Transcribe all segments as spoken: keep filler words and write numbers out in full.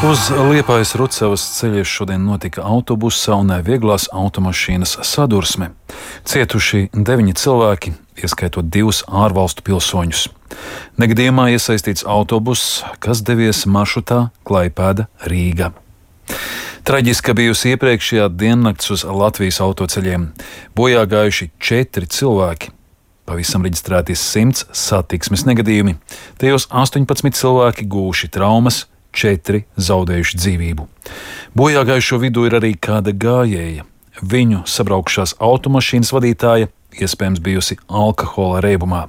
Uz Liepājas Rucavas ceļies šodien notika autobusa un vieglās automašīnas sadursme. Cietuši deviņi cilvēki, ieskaitot divus ārvalstu pilsoņus. Negadījumā iesaistīts autobuss, kas devies maršrutā Klaipēda–Rīga. Traģiska bijusi iepriekšējā diennakts uz Latvijas autoceļiem. Bojā gājuši četri cilvēki. Pavisam reģistrēti simts satiksmes negadījumi. Tajos astoņpadsmit cilvēki guvuši traumas, četri zaudējuši dzīvību. Bojā gājušo vidū ir arī kāda gājēja. Viņu sabraukšās automašīnas vadītāja iespējams bijusi alkohola reibumā.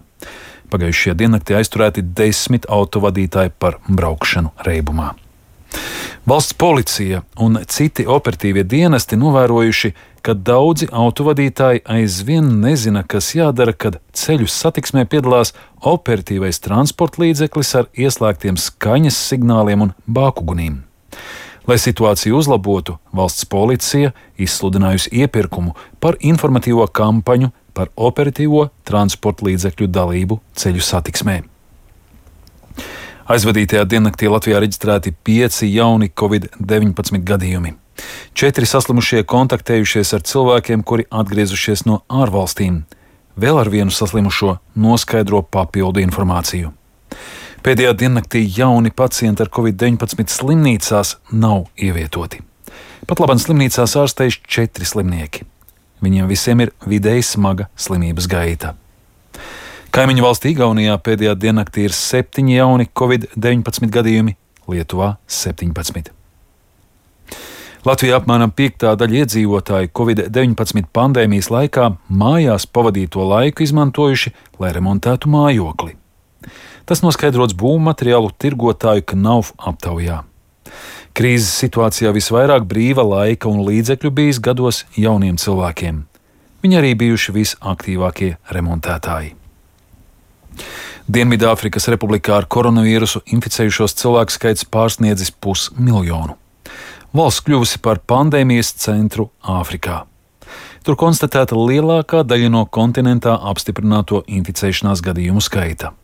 Pagājušajā diennaktī aizturēti desmit autovadītāji par braukšanu reibumā. Valsts policija un citi operatīvie dienesti novērojuši, ka daudzi autovadītāji aizvien nezina, kas jādara, kad ceļu satiksmē piedalās operatīvais transporta līdzeklis ar ieslēgtiem skaņas signāliem un bākugunīm. Lai situāciju uzlabotu, valsts policija izsludinājusi iepirkumu par informatīvo kampaņu par operatīvo transporta līdzekļu dalību ceļu satiksmē. Aizvadītajā diennaktī Latvijā reģistrēti pieci jauni covid deviņpadsmit gadījumi. Četri saslimušie kontaktējušies ar cilvēkiem, kuri atgriezušies no ārvalstīm. Vēl ar vienu saslimušo noskaidro papildu informāciju. Pēdējā diennaktī jauni pacienti ar covid deviņpadsmit slimnīcās nav ievietoti. Pat labāk slimnīcās ārstējuši četri slimnieki. Viņiem visiem ir vidēji smaga slimības gaita. Kaimiņu valstī Igaunijā pēdējā diennaktī ir septiņi jauni covid deviņpadsmit gadījumi, Lietuvā septiņpadsmit. Latvijā apmēram piektā daļa iedzīvotāju covid deviņpadsmit pandēmijas laikā mājās pavadīto laiku izmantojuši, lai remontētu mājokli. Tas noskaidrots būvmateriālu tirgotāju Knauf aptaujā. Krīzes situācijā visvairāk brīva laika un līdzekļu bijis gados jauniem cilvēkiem. Viņi arī bijuši visaktīvākie remontētāji. Dienvidāfrikas Republikā ar koronavīrusu inficējušos cilvēku skaits pārsniedzis pusmiljonu. Valsts kļuvusi par pandēmijas centru Āfrikā. Tur konstatēta lielākā daļa no kontinentā apstiprināto inficēšanās gadījumu skaita.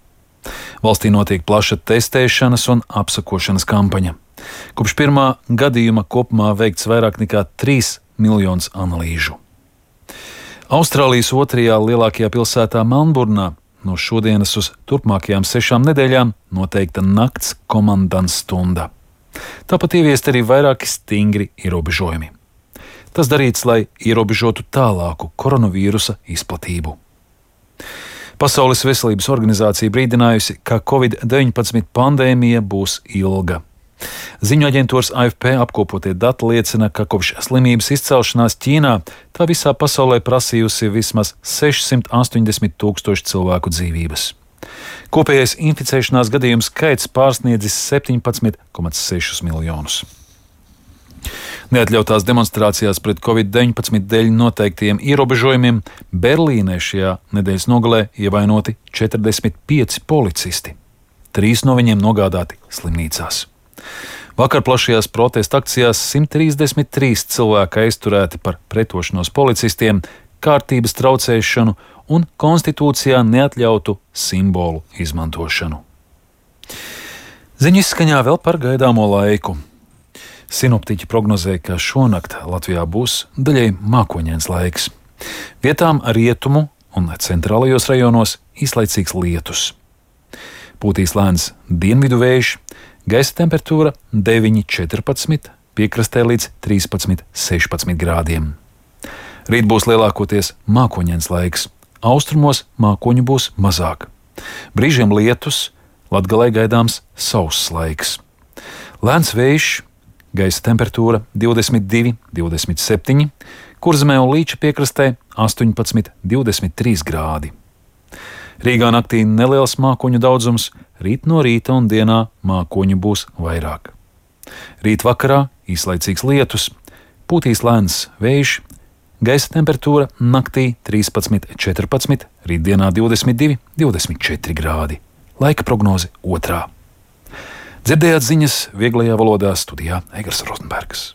Valstī notiek plaša testēšanas un apsakošanas kampaņa. Kopš pirmā gadījuma kopumā veikts vairāk nekā trīs miljonus analīžu. Austrālijas otrajā lielākajā pilsētā Melnburnā no šodienas uz turpmākajām sešām nedēļām noteikta nakts komandants stunda. Tāpat ieviest arī vairāki stingri ierobežojumi. Tas darīts, lai ierobežotu tālāku koronavīrusa izplatību. Pasaules veselības organizācija brīdinājusi, ka covid deviņpadsmit pandēmija būs ilga. Ziņu aģentūras A F P apkopotie dati liecina, ka kopš slimības izcelšanās Ķīnā tā visā pasaulē prasījusi vismaz sešsimt astoņdesmit tūkstoši cilvēku dzīvības. Kopējais inficēšanās gadījumu skaits pārsniedzis septiņpadsmit komats seši miljonus. Neatļautās demonstrācijās pret covid deviņpadsmit dēļ noteiktiem ierobežojumiem Berlīnē šajā nedēļas nogalē ievainoti četrdesmit pieci policisti. Trīs no viņiem nogādāti slimnīcās. Vakar plašajās protesta akcijās simt trīsdesmit trīs cilvēki aizturēti par pretošanos policistiem, kārtības traucēšanu un konstitūcijā neatļautu simbolu izmantošanu. Ziņu izskaņā vēl par gaidāmo laiku. Sinoptiķi prognozē, ka šonakt Latvijā būs daļai mākoņains laiks. Vietām rietumu un centrālajos rajonos īslaicīgs lietus. Pūtīs lēns dienvidu vējš, gaisa temperatūra deviņi četrpadsmit, piekrastē līdz trīspadsmit sešpadsmit grādiem. Rīt būs lielākoties mākoņains laiks, austrumos mākoņu būs mazāk. Brīžiem lietus, Latgalē gaidāms sauss laiks. Lēns vējš, gaisa temperatūra divdesmit divi, divdesmit septiņi, Kurzemē un Līča piekrastē astoņpadsmit, divdesmit trīs grādi. Rīgā naktī neliels mākoņu daudzums, rīt no rīta un dienā mākoņu būs vairāk. Rīt vakarā īslaicīgs lietus, pūtīs lēns vējš, gaisa temperatūra naktī trīspadsmit, četrpadsmit, rītdienā divdesmit divi, divdesmit četri grādi. Laika prognoze otrā. Dzirdējāt ziņas vieglajā valodā, studijā Egars Rozenbergs.